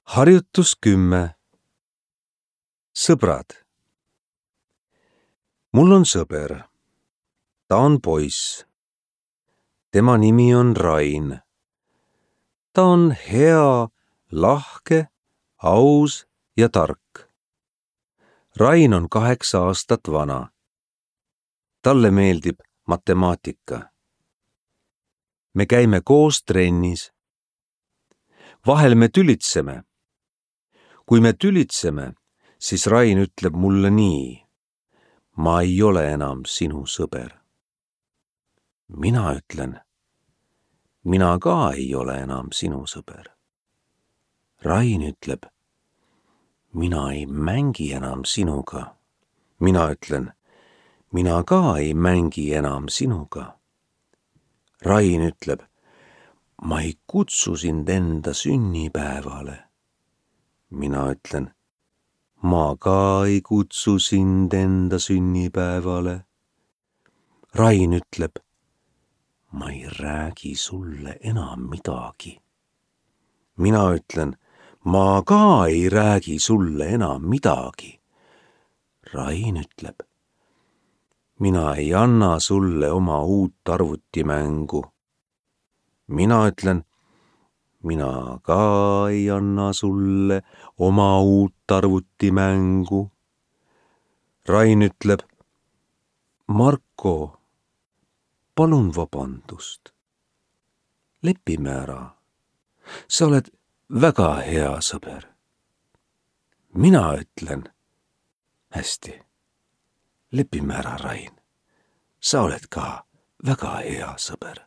Harjutus 10. Sõbrad. Mul on sõber. Ta on poiss. Tema nimi on Rain. Ta on hea, lahke, aus ja tark. Rain on 8 aastat vana. Talle meeldib matemaatika. Me käime koos trennis. Vahel me tülitseme. Kui me tülitseme, siis Rain ütleb mulle nii: ma ei ole enam sinu sõber. Mina ütlen: mina ka ei ole enam sinu sõber. Rain ütleb: mina ei mängi enam sinuga. Mina ütlen: mina ka ei mängi enam sinuga. Rain ütleb: ma ei kutsu sind enda sünnipäevale. Mina ütlen: ma ka ei kutsu sind enda sünnipäevale. Rain ütleb: ma ei räägi sulle enam midagi. Mina ütlen: ma ka ei räägi sulle enam midagi. Rain ütleb: mina ei anna sulle oma uut arvutimängu. Mina ütlen: mina ka ei anna sulle oma uut arvutimängu. Rain ütleb: Marko, palun vabandust. Lepime ära. Sa oled väga hea sõber. Mina ütlen: hästi. Lepime ära, Rain. Sa oled ka väga hea sõber.